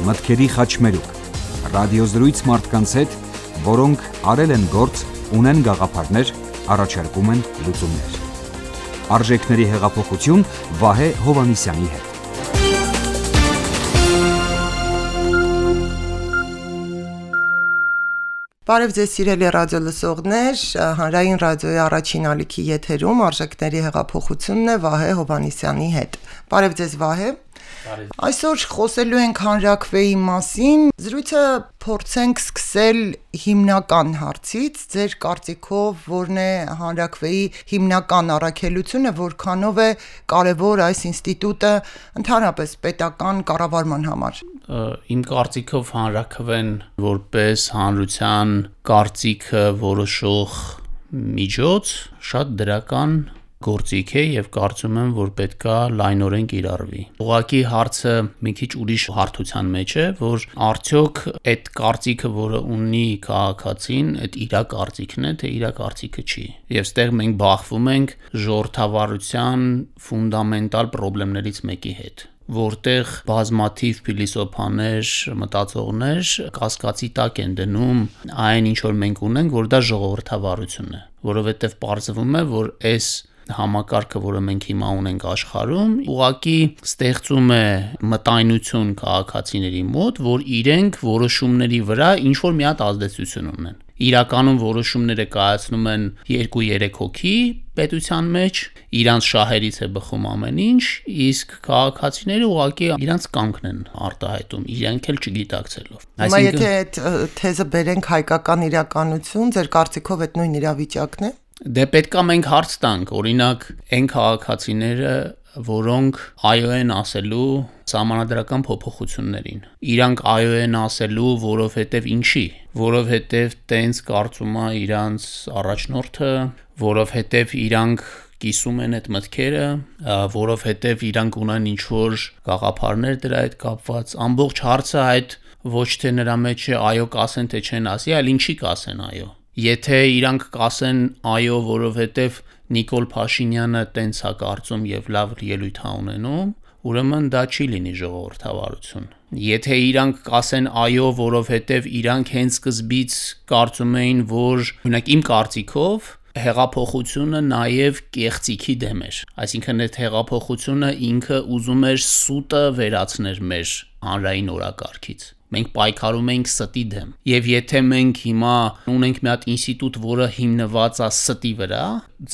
մտքերի խաչմերուկ, ռադիոզրույց մարդկանց հետ, որոնք արել են գործ, ունեն գաղափարներ, առաջարկում են լուծումներ։ Արժեքների հեղափոխություն Վահե Հովհաննիսյանի հետ։ Բարև ձեզ սիրելի ռադիո լսողներ, հանրային ռադիոյի առաջին ալիքի եթերում արժեքների հեղափոխությունն է Վահե Հովհաննիսյանի հետ։ Բարև ձեզ Վահե։ Այսօր խոսելու ենք հանրաքվեի մասին։ Զրույցը փորձենք սկսել հիմնական հարցից։ Ձեր կարծիքով որն է հանրաքվեի հիմնական առաքելությունը, որքանով է կարևոր այս ինստիտուտը ընդհանրապես պետական կառավարման համար։ Իմ կարծիքով հանրաքվեն որպես հանրության կարծիքը որոշող միջոց շատ դրական գործիք է եւ կարծում եմ, որ պետքա լայնորեն կիրառվի։ Ուղղակի հարցը մի քիչ ուրիշ հարթության մեջ է, որ արդյոք այդ կարծիքը, որը ունի քաղաքացին, այդ իր կարծիքն է, թե իր կարծիքը չի։ Եվ ստեղ մենք բախվում ենք ժողովրդավարության ֆունդամենտալ խնդիրներից մեկի հետ, որտեղ բազմաթիվ փիլիսոփաներ, մտածողներ կասկածի տակ են դնում այն, ինչ որ մենք ունենք, որ դա ժողովրդավարություն է, որովհետև պարզվում է, որ այս համակարգը, որը մենք հիմա ունենք աշխարհում, ուղղակի ստեղծում է մտայնություն քաղաքացիների մոտ, որ իրենք որոշումների վրա ինչ որ մի հատ ազդեցություն ունեն։ Իրականում որոշումները կայացնում են 2-3 հոգի պետության մեջ, իրանց շահերից է բխում ամեն ինչ, իսկ քաղաքացիները ուղղակի իրանց կամքն են արտահայտում, իրենք էլ չգիտակցելով։ Հիմա եթե այդ թեզը բերենք հայկական իրականություն, ձեր կարծիքով այդ նույն իրավիճակն է։ Դե պետքա մենք հարց տանք, օրինակ, այն քաղաքացիները, որոնք այո են ասելու սահմանադրական փոփոխություններին։ Իրանք այո են ասելու, որովհետև ինչի, որովհետև տենց կարծում է իրանց առաջնորդը, որովհետև իրանք կիսում են այդ մտքերը, որովհետև իրանք ունեն ինչ-որ գաղափարներ դրա հետ կապված։ Ամբողջ հարցը այդ ոչ թե նրա մեջ է այո կասեն, թե չեն ասի, այլ ինչի կասեն այո։ Եթե իրանք կասեն այո, որովհետև Նիկոլ Փաշինյանը տենց է կարծում եւ լավ ելույթ է ունենում, ուրեմն դա չի լինի ժողովրդավարություն։ Եթե իրանք կասեն այո, որովհետև իրանք հենց սկզբից կարծում էին, որ օրինակ իմ կարծիքով հեղափոխությունը նաև կեղծիքի դեմ էր, այսինքն այդ հեղափոխությունը ինքը ուզում էր սուտը վերացնել մեր հանրային օրակարգից։ Մենք պայքարում ենք ստի դեմ։ Եվ եթե մենք հիմա ունենք մի հատ ինստիտուտ, որը հիմնված է ստի վրա,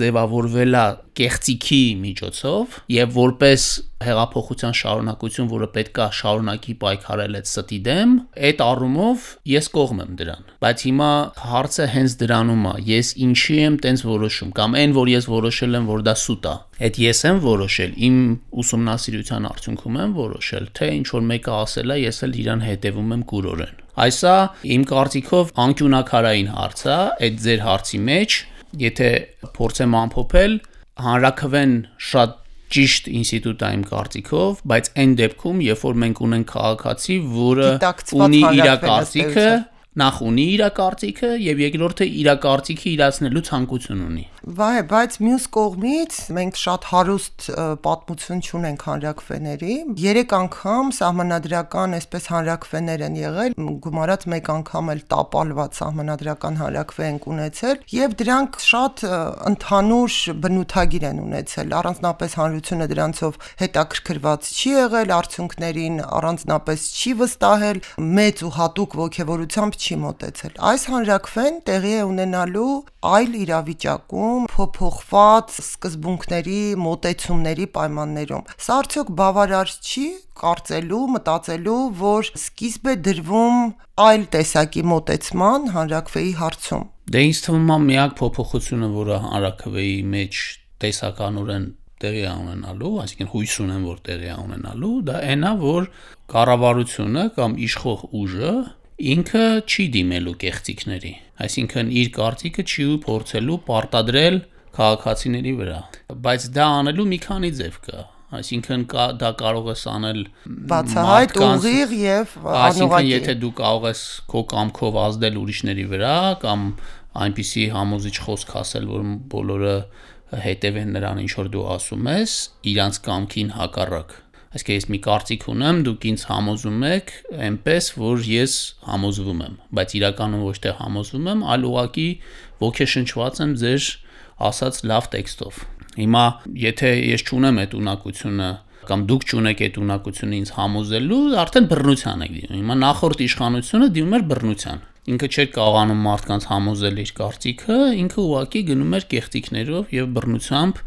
ձևավորվել է կեղծիքի միջոցով եւ որպես հեղափոխության շարունակություն, որը պետքա շարունակի պայքարել այդ ստի դեմ, այդ առումով ես կողմ եմ դրան։ Բայց հիմա հարցը հենց դրանում է, ես ինչի եմ տենց որոշում, կամ այն, որ ես որոշել եմ, որ դա սուտ է։ Այդ ես եմ որոշել, իմ ուսումնասիրության արդյունքում եմ որոշել, թե ինչ որ մեկը ասել է, ես էլ իրան հետևում եմ կուրորեն։ Այսա իմ կարծիքով անկյունակարային հարց է, այդ ձեր հարցի մեջ, եթե փորձեմ ամփոփել, հանրաքվեն շատ ճիշտ ինստիտուտ է իմ կարծիքով, բայց այն դեպքում, երբ որ մենք ունենք քաղաքացի, որը ունի իր կարծիքը, նախ ունի իր կարծիքը եւ երկրորդը իր կարծիքը իրացնելու ցանկություն ունի։ Վայ, բայց մյուս կողմից մենք շատ հարուստ պատմություն ունենք հանրաքվեների։ 3 անգամ սահմանադրական այսպես հանրաքվեներ են եղել, գումարած մեկ անգամ էլ տապալված սահմանադրական հանրաքվե են ունեցել եւ դրանք շատ ընդհանուր բնութագիր են ունեցել։ Առանձնապես հանրությունը դրանցով հետաքրքրված չի եղել, արդյունքներին առանձնապես չի վստահել, մեծ ու հատուկ ողջավորությամբ չի մոտեցել։ Այս հանրաքվեն տեղի է ունենալու այլ իրավիճակում, փոփոխված սկզբունքների, մոտեցումների պայմաններում։ Սա արդյոք բավարար չի կարծելու, մտածելու, որ սկիզբ է դրվում այլ տեսակի մոտեցման հանրաքվեի հարցում։ Դե ինձ թվում է միակ փոփոխությունը, որը հանրաքվեի մեջ տեսականորեն տեղի է ունենալու, այսինքն հույս ունեմ, որ տեղի է ունենալու, դա այն է, որ կառավարությունը կամ իշխող ուժը ինքը չի դիմելու կեղծիքների, այսինքն իր կարծիքը չի փորձելու պարտադրել քաղաքացիների վրա, բայց դա անելու մի քանի ձև կա, այսինքն դա կարող ես անել բացահայտ, ուղիղ եւ անուղղակի, այսինքն եթե դու կարող ես քո կամքով ազդել ուրիշների վրա կամ այնպիսի համոզիչ խոսք ասել, որ բոլորը հետևեն նրան, ինչ որ դու ասում ես, իրանց կամքին հակառակ, Այսինքն ես մի կարծիք ունեմ, դուք ինձ համոզում եք այնպես, որ ես համոզվում եմ, բայց իրականում ոչ թե համոզվում եմ, այլ ուղղակի ոգեշնչված եմ ձեր ասած լավ տեքստով։ Հիմա եթե ես չունեմ այդ ունակությունը կամ դուք չունեք այդ ունակությունը ինձ համոզելու, արդեն բռնության եք դիմում։ Հիմա նախորդ իշխանությունը դիմում էր բռնության։ Ինքը չէր կարողանում մարդկանց համոզել իր կարծիքը, ինքը ուղղակի գնում էր կեղծիքներով եւ բռնությամբ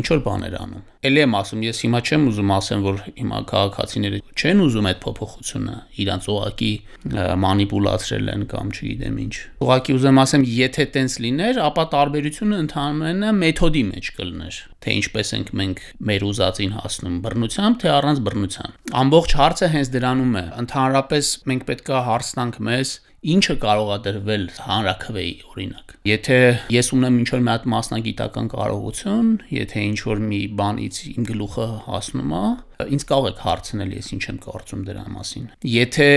ինչ որ բաներ անում։ Էլի եմ ասում, ես հիմա չեմ ուզում ասեմ, որ հիմա քաղաքացիները չեն ուզում այդ փոփոխությունը, իրանց ուղղակի մանիպուլացրել են կամ չգիտեմ ինչ։ Ուղղակի ուզեմ ասեմ, եթե տենց լիներ, ապա տարբերությունը ընդհանրապես մեթոդի մեջ կլներ, թե ինչպես ենք մենք մեր ուզածին հասնում, բռնությամբ թե առանց բռնության։ Ամբողջ հարցը հենց դրանում է։ Ընդհանրապես մենք պետքա հարց տանք մեզ, ինչը կարող է դրվել հանրաքվեի օրինակ։ Եթե ես ունեմ ինչ-որ մի հատ մասնագիտական կարողություն, եթե ինչ-որ մի բանից իմ գլուխը հասնում է, ինձ կարող եք հարցնել, ես ինչ եմ կարծում դրա մասին։ Եթե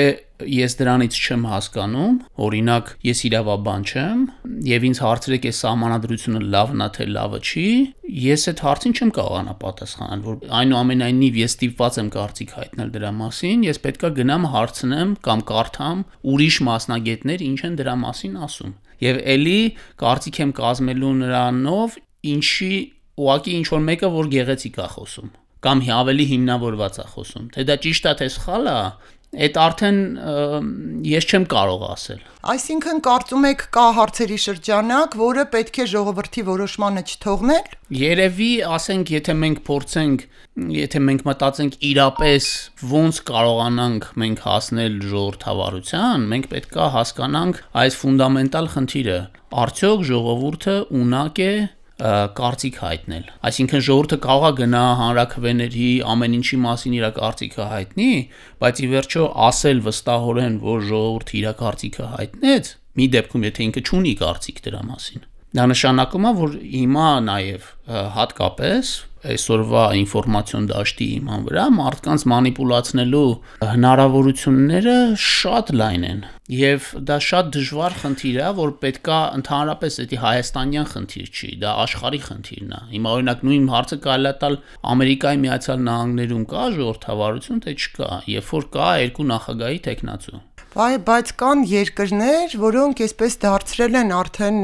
ես դրանից չեմ հասկանում, օրինակ ես իրավաբան չեմ, եւ ինձ հարցրեք այս սահմանադրությունը լավն է թե լավը չի, ես այդ հարցին չեմ կարողանա պատասխանել, որ այնուամենայնիվ ես ստիպված եմ կարծիք հայտնել դրա մասին, ես պետքա գնամ հարցնեմ կամ կարդամ ուրիշ մասնագետներ ինչ են դրա մասին ասում։ Եվ էլի կարծիք եմ կազմելու նրանով, ինչի ուղղակի ինչ որ մեկը որ գեղեցիկ է խոսում կամ ավելի հիմնավորված է խոսում, թե դա ճիշտ է թե սխալ է, այդ արդեն ես չեմ կարող ասել։ Այսինքն կարծում եք կա հարցերի շրջանակ, որը պետք է ժողովրդի որոշմանը չթողնել։ Երևի, ասենք, եթե մենք փորձենք, եթե մենք մտածենք իրապես ոնց կարողանանք մենք հասնել ժողովրդավարության, մենք պետք է հասկանանք այս ֆունդամենտալ խնդիրը։ Արդյոք ժողովուրդը ունակ է կարծիք հայտնել։ Այսինքն ժողովուրդը կարող է գնա հանրաքվեների ամեն ինչի մասին իր կարծիքը հայտնի, բայց ի վերջո ասել վստահորեն, որ ժողովուրդը իր կարծիքը հայտնեց, մի դեպքում եթե ինքը չունի կարծիք դրա մասին։ Դա նշանակում է, որ հիմա նաև հատկապես այսօրվա ինֆորմացիոն դաշտի իման վրա մարդկանց մանիպուլացնելու հնարավորությունները շատ լայն են եւ դա շատ դժվար խնդիր է, որ պետքա ընդհանրապես դա հայաստանյան խնդիր չի, դա աշխարհի խնդիրն է։ Հիմա օրինակ նույն հարցը կարելի է տալ Ամերիկայի Միացյալ Նահանգներում կա ժողովրդավարություն, թե չկա, երբ որ կա երկու նախագահի տեխնացու։ Բայց կան երկրներ, որոնք այսպես դարձրել են արդեն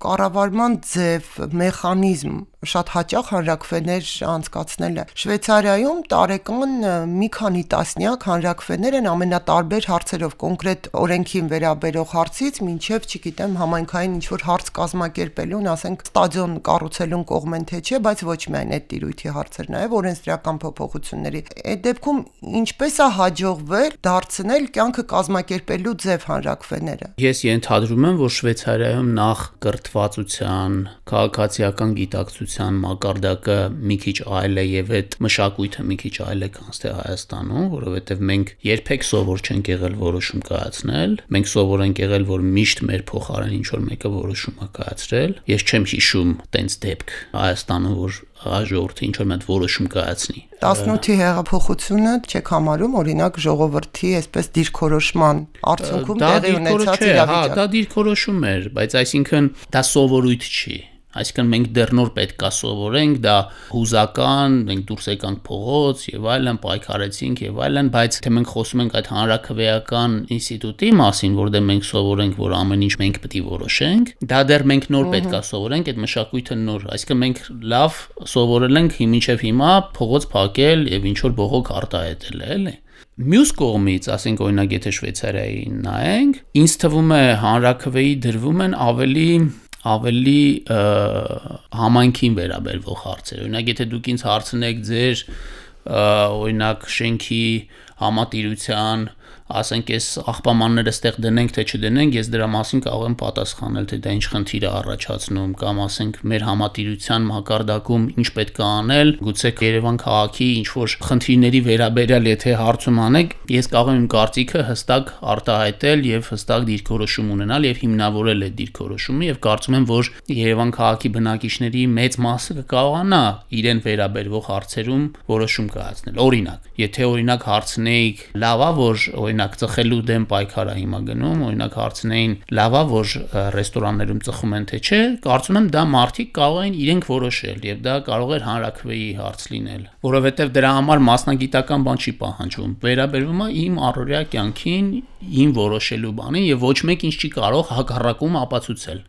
կառավարման ձև, մեխանիզմ շատ հաճախ հանրաքվեներ անցկացնելը։ Շվեյցարիայում տարեկան մի քանի տասնյակ հանրաքվեներ են ամենատարբեր հարցերով, կոնկրետ օրենքին վերաբերող հարցից մինչև, չգիտեմ, համայնքային ինչ-որ հարց կազմակերպելուն, ասենք, ստադիոն կառուցելուն կողմեն թե չէ, բայց ոչ միայն այդ տիրույթի հարցեր, նաև օրենսդրական փոփոխությունների։ Այդ դեպքում ինչպես է հաջողվել դարձնել կյանքը կազմակերպելու ձև հանրաքվեները։ Ես ենթադրում եմ, որ Շվեյցարիայում նախ կրթվածության, քաղաքացիական գիտակցության մակարդակը մի քիչ այլ է եւ այդ մշակույթը մի քիչ այլ է, քան թե Հայաստանում, որովհետեւ մենք երբեք սովոր չենք եղել որոշում կայացնել, մենք սովոր ենք եղել, որ միշտ մեր փոխարեն ինչ որ մեկը որոշում է կայացրել։ Ես չեմ հիշում տենց դեպք Հայաստանում, որ ժողովուրդը ինչ որ մի որոշում կայացնի։ 18-ի հեղափոխությունը չեք համարում օրինակ ժողովրդի այսպես դիրքորոշման արդյունքում տեղի ունեցած իրավիճակ։ Դա դիրքորոշում էր, բայց այսինքն դա սովորույթ չի։ Այսինքն մենք դեռ նոր պետք է սովորենք, դա հուզական, մենք դուրս եկանք փողոց եւ այլն, պայքարեցինք եւ այլն, բայց թե մենք խոսում ենք այդ հանրաքվեական ինստիտուտի մասին, որտեղ մենք սովորենք, որ ամեն ինչ մենք պետք է որոշենք, դա դեռ մենք նոր պետք է սովորենք, այդ մշակույթը նոր, այսինքն մենք լավ սովորել ենք մինչեւ հիմա փողոց փակել եւ ինչ որ բողոք արտահայտել, էլի։ Մյուս կողմից, ասենք օրինակ եթե Շվեյցարիային նայենք, ինձ թվում է հանրաքվեի դրվում են ավելի համայնքին վերաբերվող հարցեր։ Օրինակ եթե դուք ինձ հարցնեք ձեր օրինակ շենքի համատիրության, ասենք այս աղբամանները ստեղ դնենք թե չդնենք, ես դրա մասին կարող եմ պատասխանել, թե դա ինչ խնդիր է առաջացնում, կամ ասենք մեր համատիրության մակարդակում ինչ պետք է անել, գուցե Երևան քաղաքի ինչ որ խնդիրների վերաբերյալ եթե հարցում անեք, ես կարող եմ իմ կարծիքը հստակ արտահայտել եւ հստակ դիրքորոշում ունենալ եւ հիմնավորել այդ դիրքորոշումը եւ կարծում եմ, որ Երևան քաղաքի բնակիչների մեծ մասը կկարողանա իրեն վերաբերվող հարցերում որոշում կայացնել։ Օրինակ, եթե օրինակ հարցնեիք, լավ է, որ օրինակ ծխելու դեմ պայքարա հիմա գնում, օրինակ հարցնեին լավա, որ ռեստորաններում ծխում են թե չէ, կարծում եմ դա մարդիկ կարող են իրենք որոշել եւ դա կարող էր հանրաքվեի հարց լինել, որովհետեւ դրա համար մասնագիտական բան չի պահանջվում։ Վերաբերվում է իմ առօրյա կյանքին, իմ որոշելու բանին եւ ոչ մեկ ինձ չի կարող հակառակում ապացուցել։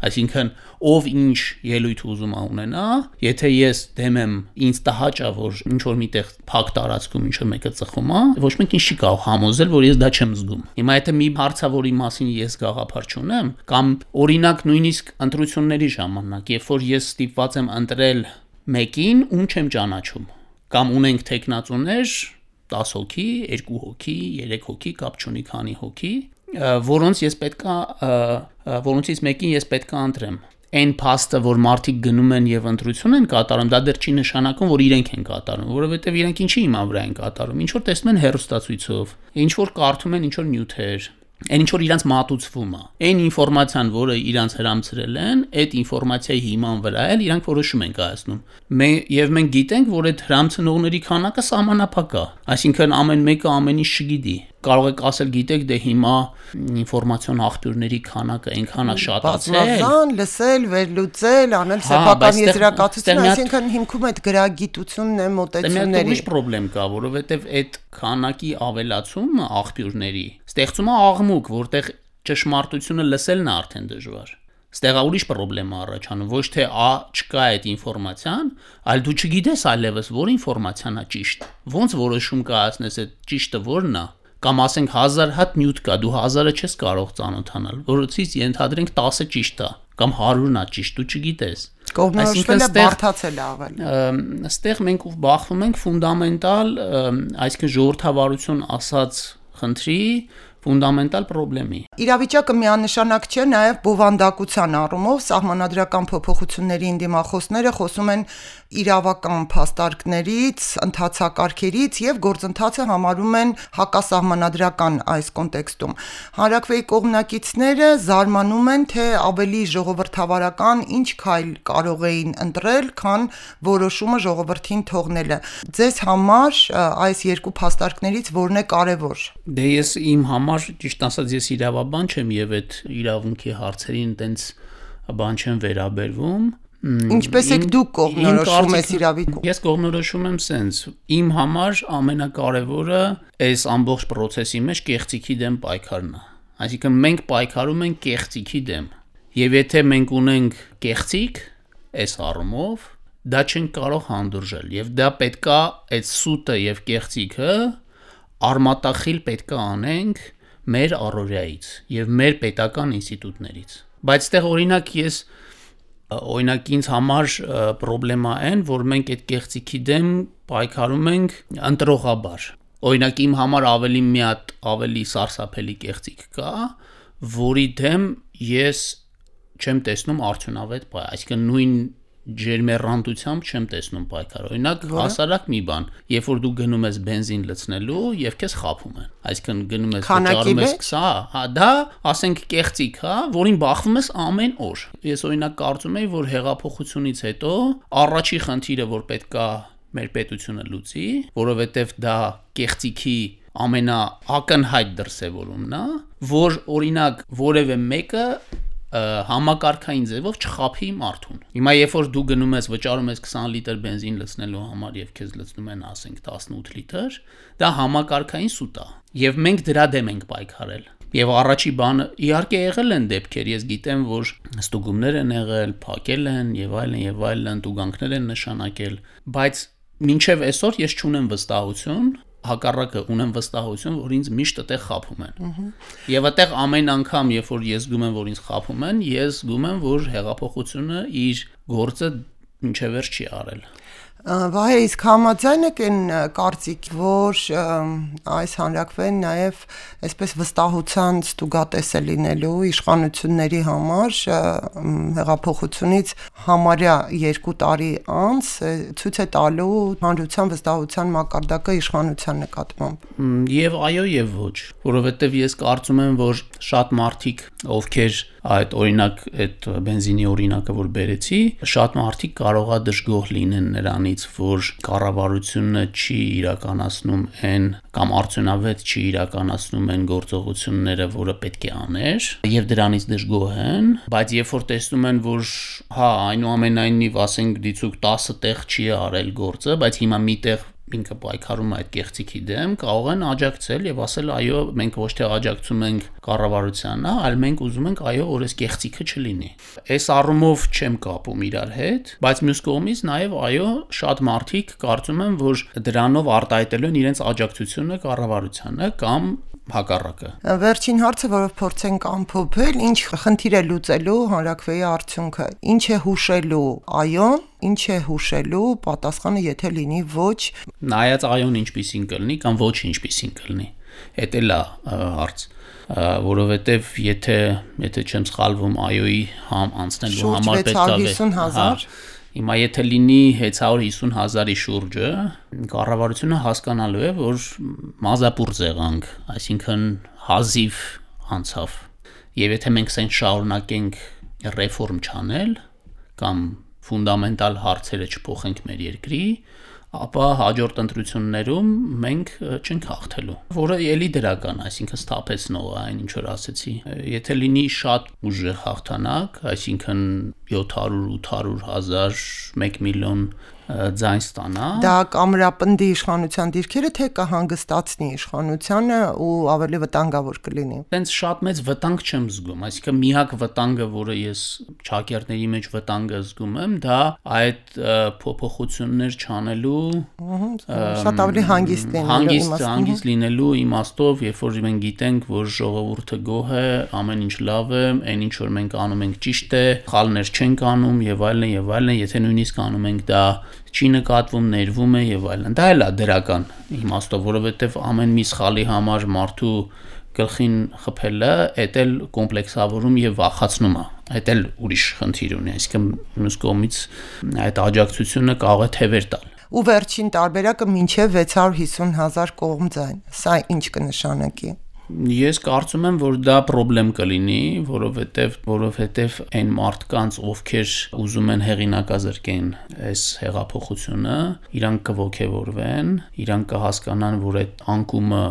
Այսինքն ով ինչ ելույթ ուզում ունենա, եթե ես դեմ եմ, ինձ տհաճ է, որ ինչ որ միտեղ փակ տարածքում ինչ որ մեկը ծխում է, ոչ մեկ ինձ չի կարող համոզել, որ ես դա չեմ զգում։ Հիմա եթե մի հարցավորի մասին ես գաղափար չունեմ, կամ օրինակ նույնիսկ ընտրությունների ժամանակ, երբ որ ես ստիպված եմ ընտրել մեկին, ում չեմ ճանաչում, կամ ունենք տեխնացուներ 10 հոգի, 2 հոգի, 3 հոգի, կապ չունի քանի հոգի, որոնցից մեկին ես պետք է ընտրեմ։ Այն փաստը, որ մարդիկ գնում են եւ ընտրություն են կատարում, դա դեռ չի նշանակում, որ իրենք են կատարում, որովհետեւ իրենք ինչի հիմա վրա են կատարում, ինչ որ տեսնում են հեռուստացույցով, ինչ որ կարդում են ինչ որ նյութեր, այն ինչ որ իրանց մատուցվում է, այն ինֆորմացիան, որը իրանց հրամցրել են, այդ ինֆորմացիայի հիման վրա էլ իրանք որոշում են կայացնում։ Եվ մենք գիտենք, որ այդ հրամցնողների քանակը սահմանափակ է, այսինքն ամեն մեկը ամեն ինչ չգիտի։ Կարող եք ասել, գիտեք, դե հիմա ինֆորմացիոն աղբյուրների քանակը այնքան է շատացել, լսել, վերլուծել, անել սեփական եզրակացություն, այսինքն հիմքում այդ գրագիտությունն է, մոտեցումների։ Ուրիշ խնդրեմ կա, որովհետև այդ քանակի ավելացումը աղբյուրների ստեղծում է աղմուկ, որտեղ ճշմարտությունը լսելն է արդեն դժվար։ Ստեղ ուրիշ խնդրեմ առաջանում, ոչ թե չկա այդ ինֆորմացիան, այլ դու չգիտես այլևս որ ինֆորմացիան է ճիշտ։ Ոնց որոշում կայացնես այդ ճիշտը որն է։ Կամ ասենք 1000 հատ նյութ կա, դու 1000-ը չես կարող ծանոթանալ, որովհետեւ ենթադրենք 10-ը ճիշտ է, կամ 100-ն է ճիշտ, դու չգիտես։ Կողմնորոշվելը բարդացել է ավել։ Այստեղ մենք բախվում ենք ֆունդամենտալ, այսինքն ժողովրդավարություն ասած խնդրի ֆունդամենտալ խնդրի։ Իրավիճակը միանշանակ չէ նաև բովանդակության առումով, սահմանադրական փոփոխությունների ընդդիմախոսները խոսում են իրավական փաստարկներից, ընթացակարգերից եւ գործընթացը համարում են հակասահմանադրական այս կոնտեքստում։ Հանրաքվեի կողմնակիցները զարմանում են, թե ավելի ժողովրդավարական ինչ քայլ կարող էին ընտրել, քան որոշումը ժողովրդին թողնելը։ Ձեզ համար այս երկու փաստարկներից որն է կարևոր։ Դե ես իմ համար ճիշտ ասած ես իրավաբան չեմ եւ այդ իրավունքի հարցերին տենց բան չեմ վերաբերվում։ Ինչպես եք դուք կողմնորոշում եք իրավիճակում։ Ես կողմնորոշում եմ սենց։ Իմ համար ամենակարևորը այս ամբողջ process-ի մեջ կեղծիքի դեմ պայքարն է։ Այսինքն մենք պայքարում ենք կեղծիքի դեմ։ Եվ եթե մենք ունենք կեղծիք, այս առումով դա չենք կարող հանդուրժել եւ դա պետքա այդ սուտը եւ կեղծիքը արմատախիլ պետքա անենք մեր առօրյայից եւ մեր պետական ինստիտուտներից։ Բայց այդտեղ օրինակ ինձ համար խնդրեմա այն, որ մենք այդ կեղծիքի դեմ պայքարում ենք ընտրողաբար։ Օրինակ իմ համար ավելի սարսափելի կեղծիք կա, որի դեմ ես չեմ տեսնում արդյունավետ պայքար, այսինքն նույն ջերմեռանդությամբ չեմ տեսնում պայքար։ Օրինակ հասարակ մի բան, երբ որ դու գնում ես բենզին լցնելու եւ քեզ խաբում են։ Այսինքն գնում ես վճարում ես 20, դա ասենք կեղծիք, որին բախվում ես ամեն օր։ Ես օրինակ կարծում եմ, որ հեղափոխությունից հետո առաջի խնդիրը, որ պետքա մեր պետությունը լուծի, որովհետեւ դա կեղծիքի ամենաակնհայտ դրսևորումն է, որ օրինակ որևէ մեկը համակարգային ձևով չխափի մարդուն։ Հիմա երբ որ դու գնում ես վճարում ես 20 լիտր բենզին լցնելու համար եւ քեզ լցնում են ասենք 18 լիտր, դա համակարգային սուտ է։ Եվ մենք դրա դեմ ենք պայքարել։ Եվ առաջի բանը իհարկե եղել են դեպքեր, ես գիտեմ, որ ստուգումներ են եղել, փակել են եւ այլն, տուգանքներ են նշանակել, բայց մինչեւ այսօր ես չունեմ վստահություն, հակառակը ունեմ վստահություն, որ ինձ միշտ այդտեղ խափում են։ Եվ այդտեղ ամեն անգամ, երբ որ ես զգում եմ, որ ինձ խափում են, ես զգում եմ, որ հեղափոխությունը իր գործը մինչև վերջ չի արել։ Վահե, իսկ համաձայն եք այն կարծիք, որ այս հանրաքվեն նաև այսպես վստահության ստուգատես է լինելու իշխանությունների համար հեղափոխությունից համարյա 2 տարի անց ցույց է տալու հանրության վստահության մակարդակը իշխանության նկատմամբ։ Եվ այո, եւ ոչ, որովհետեւ ես կարծում եմ, որ շատ մարդիկ, ովքեր այդ օրինակ այդ բենզինի օրինակը որ բերեցի, շատ մարդիկ կարողա դժգոհ լինեն նրանից, որ կառավարությունը չի իրականացնում այն կամ արդյունավետ չի իրականացնում այն գործողությունները, որը պետք է աներ, եւ դրանից դժգոհ են, բայց երբ որ տեսնում են, որ այնուամենայնիվ ասենք դիցուկ 10 տեղ չի արել գործը, բայց հիմա մի տեղ ինքը պայքարում է այդ կեղծիքի դեմ, կարող են աջակցել եւ ասել այո, մենք ոչ թե աջակցում ենք կառավարությանն, այլ մենք ուզում ենք այո, որ այս կեղծիքը չլինի։ Այս առումով չեմ կապում իրար հետ, բայց մյուս կողմից նաեւ այո, շատ մարդիկ կարծում են, որ դրանով արտահայտելու են իրենց աջակցությունը կառավարությանը կամ հակառակը։ Վերջին հարցը, որով փորձենք ամփոփել, ինչ խնդիր է լուծելու հանրաքվեի արդյունքը, ինչ է հուշելու այոն, ինչ է հուշելու պատասխանը, եթե լինի ոչ։ Նայած այոն ինչպիսին կլինի կամ ոչ ինչպիսին կլինի։ Էդ էլ է հարց, որովհետև եթե չեմ սխալվում, այոյի անցնելու համար պետք է 650,000 Հիմա եթե լինի 650,000-ի շուրջը, կառավարությունը հասկանալու է, որ մազապուրձ եղանք, այսինքն հազիվ անցավ։ Եվ եթե մենք սենց շարունակենք ռեֆորմ չանել կամ ֆունդամենտալ հարցերը չփոխենք մեր երկրի, ապա հաջորդ ընտրություններում մենք չենք հաղթելու, որը ելի դրական, այսինքն սթափեցնող է այն ինչ որ ասեցի։ Եթե լինի շատ ուժեղ հաղթանակ, այսինքն 700-800,000, 1 միլիոն ձայն ստանա, դա կամրապնդի իշխանության դիրքերը, թե կհանգստացնի իշխանությանը ու ավելի վտանգավոր կլինի։ Տենց շատ մեծ վտանգ չեմ զգում, այսինքն միակ վտանգը, որը ես ճակերտների մեջ վտանգը զգում եմ, դա այդ փոփոխություններ չանելու շատ ավելի հանգիստ լինելու իմաստով, երբ որ մենք գիտենք, որ ժողովուրդը գոհ է, ամեն ինչ լավ է, այն ինչ որ մենք անում ենք ճիշտ է, սխալներ չենք անում եւ այլն, եթե նույնիսկ անում ենք դա չի նկատվում, ներվում է եւ այլն։ Դա էլ է դրական իմաստով, որովհետեւ ամեն մի սխալի համար մարդու գլխին խփելը, այդ էլ կոմպլեքսավորում եւ վախացնում է։ Այդ էլ ուրիշ խնդիր ունի, այսինքն մյուս կողմից այդ աջակցությունը կարող է թևեր տալ։ Ու վերջին տարբերակը մինչև 650,000 կողմձայն։ Սա ինչ կնշանակի։ Ես կարծում եմ, որ դա խնդրեմ կլինի, որովհետև այն մարդկանց, ովքեր ուզում են հեղինակազրկեն այս հեղափոխությունը, իրանք կողքեվորվեն, իրանք կհասկանան, որ այդ անկումը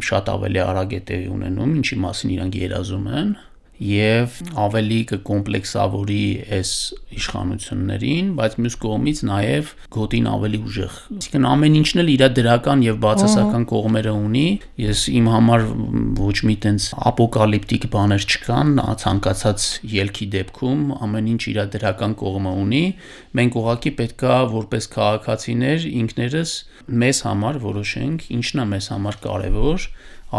շատ ավելի արագ է տեղի ունենում, ինչի մասին իրանք երազում են, եւ ավելի կկոմպլեքսավորի այս իշխանություններին, բայց մյուս կողմից նաեւ գոտին ավելի ուժեղ։ Այսինքն ամեն ինչն էլ իր դրական եւ բացասական կողմերը ունի։ Ես իմ համար ոչ մի տենց ապոկալիպտիկ բաներ չկան, ցանկացած ելքի դեպքում ամեն ինչ իր դրական կողմը ունի։ Մենք ուղղակի պետքա որպես քաղաքացիներ ինքներս մեզ համար որոշենք, ինչն է մեզ համար կարեւոր,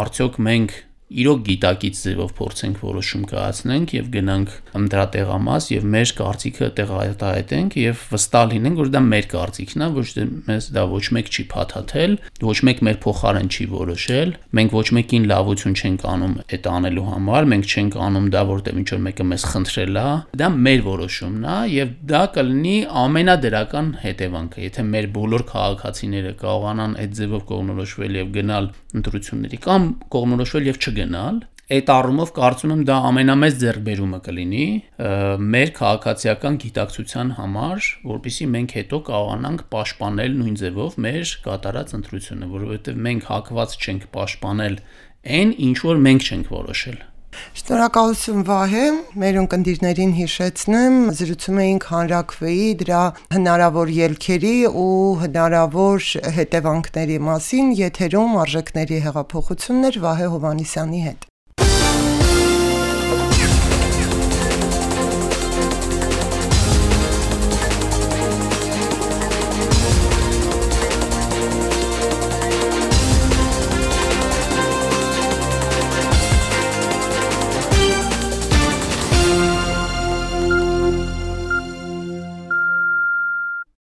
արդյոք մենք իրոք գիտակից ձևով փորձենք որոշում կայացնենք եւ գնանք դրատեղամաս եւ մեր կարծիքը տեղահայտենք եւ վստահ լինենք, որ դա մեր կարծիքն է, ոչ թե մեզ դա ոչ մեկ չի փաթաթել, ոչ մեկ մեր փոխարեն չի որոշել, մենք ոչ մեկին լավություն չենք անում այդ անելու համար, մենք չենք անում դա, որտեղ ինչ որ մեկը մեզ խնդրել է, դա մեր որոշումն է եւ դա կլինի ամենադրական հետևանքը, եթե մեր բոլոր քաղաքացիները կարողանան այդ ձևով կողմնորոշվել եւ գնալ ընտրությունների կամ կողմնորոշվել եւ չգնալ, այդ առումով կարծում եմ դա ամենամեծ ձեռքբերումը կլինի մեր քաղաքացիական գիտակցության համար, որպեսզի մենք հետո կարողանանք պաշտպանել նույն ձևով մեր կատարած ընտրությունը, որովհետև մենք հակված չենք պաշտպանել այն, ինչ որ մենք չենք որոշել։ Շնորհակալություն Վահե, մեր ունկնդիրներին հիշեցնեմ, զրուցում էինք հանրաքվեի, դրա հնարավոր ելքերի ու հնարավոր հետևանքների մասին, եթերում արժեքների հեղափոխություններ Վահե Հովհաննիսյանի հետ։